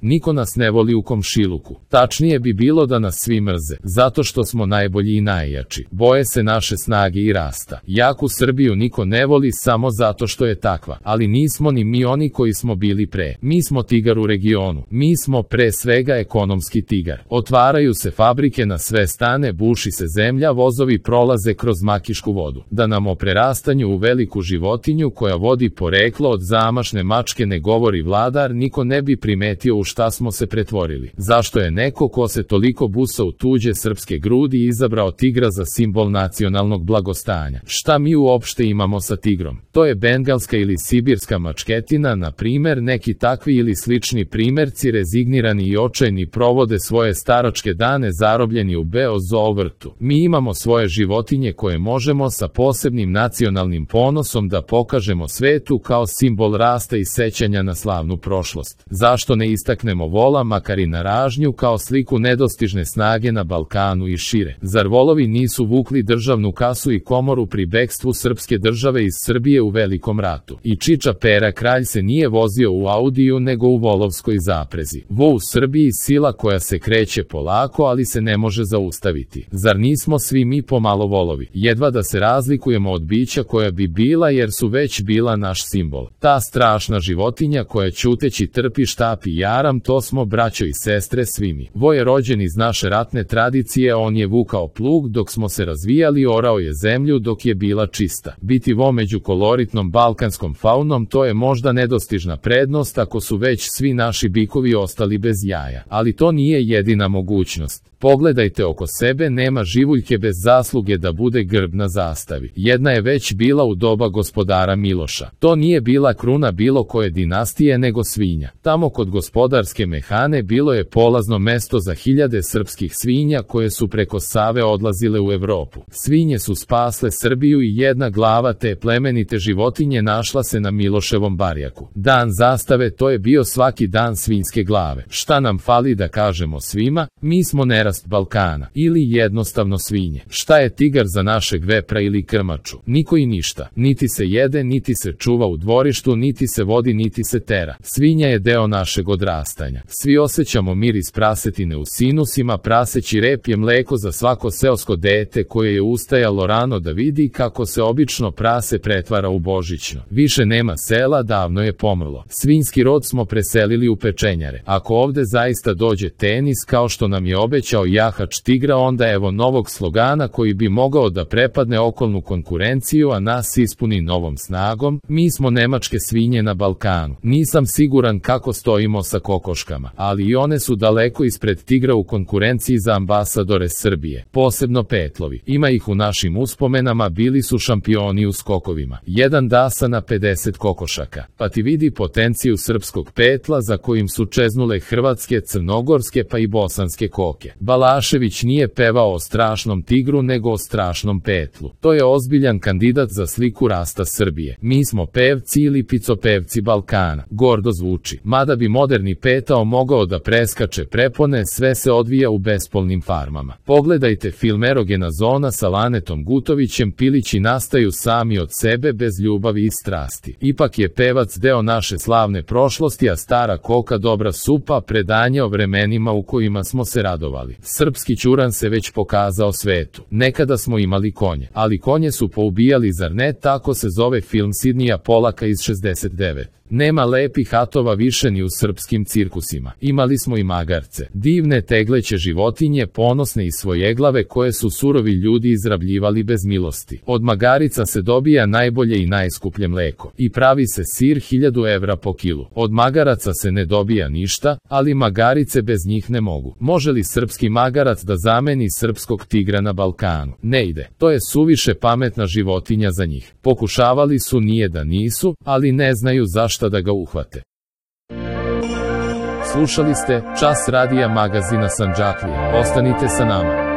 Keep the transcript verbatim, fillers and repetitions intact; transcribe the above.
Niko nas ne voli u komšiluku. Tačnije bi bilo da nas svi mrze, zato što smo najbolji i najjači. Boje se naše snage i rasta. Jaku Srbiju niko ne voli samo zato što je takva, ali nismo ni mi oni koji smo bili pre. Mi smo tigar u regionu. Mi smo pre svega ekonomski tigar. Otvaraju se fabrike na sve strane, buši se zemlja, vozovi prolaze kroz makišku vodu. Da nam o prerastanju u veliku životinju koja vodi poreklo od zamašne mačke ne govori vladar, niko ne bi primetio u šta smo se pretvorili. Zašto je neko ko se toliko busa u tuđe srpske grudi izabrao tigra za simbol nacionalnog blagostanja? Šta mi uopšte imamo sa tigrom? To je bengalska ili sibirska mačketina, na primer. Neki takvi ili slični primerci rezignirani i očajni provode svoje staračke dane zarobljeni u Beo zoovrtu. Mi imamo svoje životinje koje možemo sa posebnim nacionalnim ponosom da pokažemo svetu kao simbol rasta i sećanja na slavnu prošlost. Zašto ne istaknemo vola, makar i na ražnju, kao sliku nedostižne snage na Balkanu i šire? Zar volovi nisu vukli državnu kasu i komoru pri bekstvu srpske države iz Srbije u Velikom ratu? I Čiča Pera kralj se nije vozio u Audiju nego u volovskoj zaprezi. Vo u Srbiji sila koja se kreće polako, ali se ne može zaustaviti. Zar nismo svi mi pomalo volovi? Jedva da se razlikujemo od bića koja bi bila, jer su već bila naš simbol. Ta strašna životinja koja ćuteći trpi štap i jaram, to smo braćo i sestre svi mi. Vo je rođen iz naše ratne tradicije, on je vukao plug dok smo se razvijali, orao je zemlju dok je bila čista. Biti vo među koloritnom balkanskom faunom, to je možda nedostižna prednost ako su već svi naši bikovi ostali bez jaja. Ali to nije jedina mogućnost. Pogledajte oko sebe, nema živuljke bez zasluge da bude grb na zastavi. Jedna je već bila u doba gospodara Miloša. To nije bila kruna bilo koje dinastije nego svinja. Tamo kod gospodarske mehane bilo je polazno mesto za hiljade srpskih svinja koje su preko Save odlazile u Evropu. Svinje su spasle Srbiju i jedna glava te plemenite životinje našla se na Miloševom barjaku. Dan zastave, to je bio svaki dan svinjske glave. Šta nam fali da kažemo svima? Mi smo nerast Balkana, ili jednostavno svinje. Šta je tigar za našeg vepra ili krmaču? Niko i ništa. Niti se jede, niti se čuva u dvorištu, niti se vodi, niti se tera. Svinja je deo našeg odrastanja. Svi osjećamo miris prasetine u sinusima, praseći rep je mleko za svako seosko dete koje je ustajalo rano da vidi kako se obično prase pretvara u božićno. Više nema sela, davno je pomrlo. Svinjski rod smo preselili u pečenjare. Ako ovde zaista dođe tenis kao što nam je obećao jahač tigra, onda evo novog slogana koji bi mogao da prepadne okolnu konkurenciju, a nas ispuni novom snagom. Mi smo nemačke svinje na Balkanu. Nisam siguran kako stojimo sa kokoškama, ali i one su daleko ispred tigra u konkurenciji za ambasadore Srbije. Posebno petlovi. Ima ih u našim uspomenama, bili su šampioni u skokovima. Jedan dasa na pedeset kokošaka. Pa ti vidi potenciju srpskog petla za kojim su čeznule hrvatske, crnogorske pa i bosanske koke. Balašević nije pevao o strašnom tigru nego o strašnom petlu. To je ozbiljan kandidat za sliku rasta Srbije. Mi smo pevci ili picopevci Balkana. Gordo zvuči. Mada bi moderni petao mogao da preskače prepone, sve se odvija u bespolnim farmama. Pogledajte film Erogena zona sa Lanetom Gutovićem, pilići nastaju sami od sebe bez ljubavi i strasti. Ipak je pevac deo naše slavne prošlosti, a stara koka dobra supa, predanje o vremenima u kojima smo se radovali. Srpski ćuran se već pokazao svetu. Nekada smo imali konje, ali konje su poubijali, zar ne? Tako se zove film Sidnija Polaka iz šezdeset devete. Nema lepih hatova više ni u srpskim cirkusima. Imali smo i magarce, divne tegleće životinje, ponosne i svojeglave koje su surovi ljudi izrabljivali bez milosti. Od magarica se dobija najbolje i najskuplje mleko i pravi se sir hiljadu evra po kilu. Od magaraca se ne dobija ništa, ali magarice bez njih ne mogu. Može li srpski magarac da zameni srpskog tigra na Balkanu? Ne ide. To je suviše pametna životinja za njih. Pokušavali su, nije da nisu, ali ne znaju zašto da ga uhvate. Slušali ste Čas radija magazina Sandžaklija. Ostanite sa nama.